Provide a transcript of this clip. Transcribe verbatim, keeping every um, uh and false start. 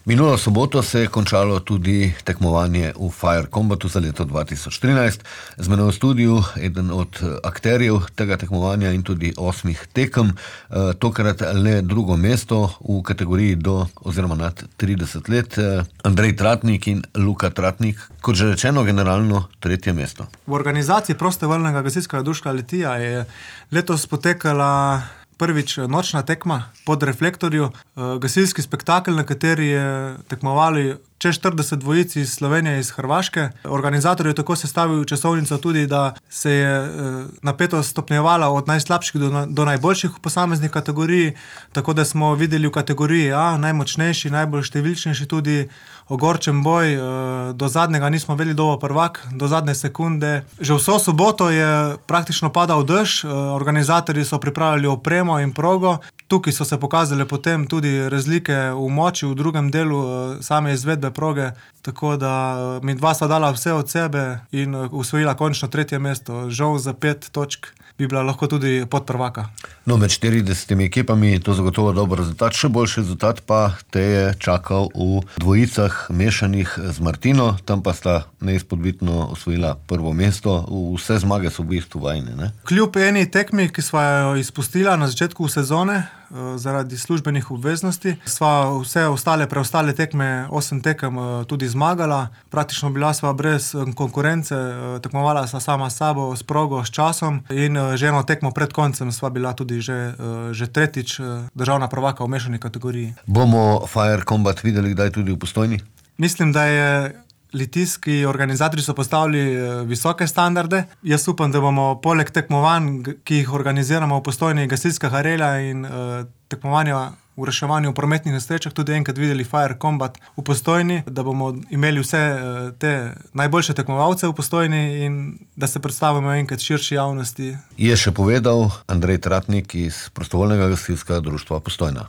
Minulo soboto se je končalo tudi tekmovanje v Fire Combatu za leto dva tisoč trinajst. Z menoj v studiu eden od akterjev tega tekmovanja in tudi osmih tekem, tokrat le drugo mesto v kategoriji do oziroma nad trideset let. Andrej Tratnik in Luka Tratnik, kot že rečeno, generalno tretje mesto. V organizaciji prostovoljnega gasilskega društva Litija je letos potekala prvič nočna tekma pod reflektorju, gasilski spektakel, na kateri je tekmovali čez štirideset dvojic iz Slovenije, iz Hrvaške. Organizator je tako sestavil časovnico tudi, da se je napetost stopnjevala od najslabših do, do najboljših v posameznih kategoriji, tako da smo videli v kategoriji A najmočnejši, najbolj številčnejši tudi ogorčen boj. Do zadnjega nismo vedeli, kdo bo prvak, do zadnje sekunde. Že vso soboto je praktično padal dež, organizatorji so pripravljali opremo in progo. Tukaj so se pokazale potem tudi razlike v moči v drugem delu same izvedbe proge, tako da mi dva sva dala vse od sebe in osvojila končno tretje mesto. Žal za pet točk bi bila lahko tudi podprvaka. No, med štiridesetimi ekipami je to zagotovo dober rezultat, še boljši rezultat pa te je čakal v dvojicah mešanih z Martino, tam pa sta neizpodbitno osvojila prvo mesto. Vse zmage so v bistvu vajne, ne? Kljub eni tekmi, ki sva jo izpustila na začetku sezone, zaradi službenih obveznosti, sva vse ostale, preostale tekme, osem tekem tudi zmagala. Praktično bila sva brez konkurence, tekmovala sva sama s sabo, s progo, s časom in že eno tekmo pred koncem sva bila tudi že, že tretjič državna prvaka v mešani kategoriji. Bomo Fire Combat videli kdaj tudi v Postojni? Mislim, da je litijski organizatorji so postavili visoke standarde. Jaz upam, da bomo poleg tekmovanj, ki jih organiziramo v Postojni, gasilska harela in uh, tekmovanja v reševanju v prometnih nesrečah, tudi enkrat videli Fire Combat v Postojni, da bomo imeli vse uh, te najboljše tekmovalce v Postojni in da se predstavimo enkrat širši javnosti. Je še povedal Andrej Tratnik iz prostovoljnega gasilskega društva Postojna.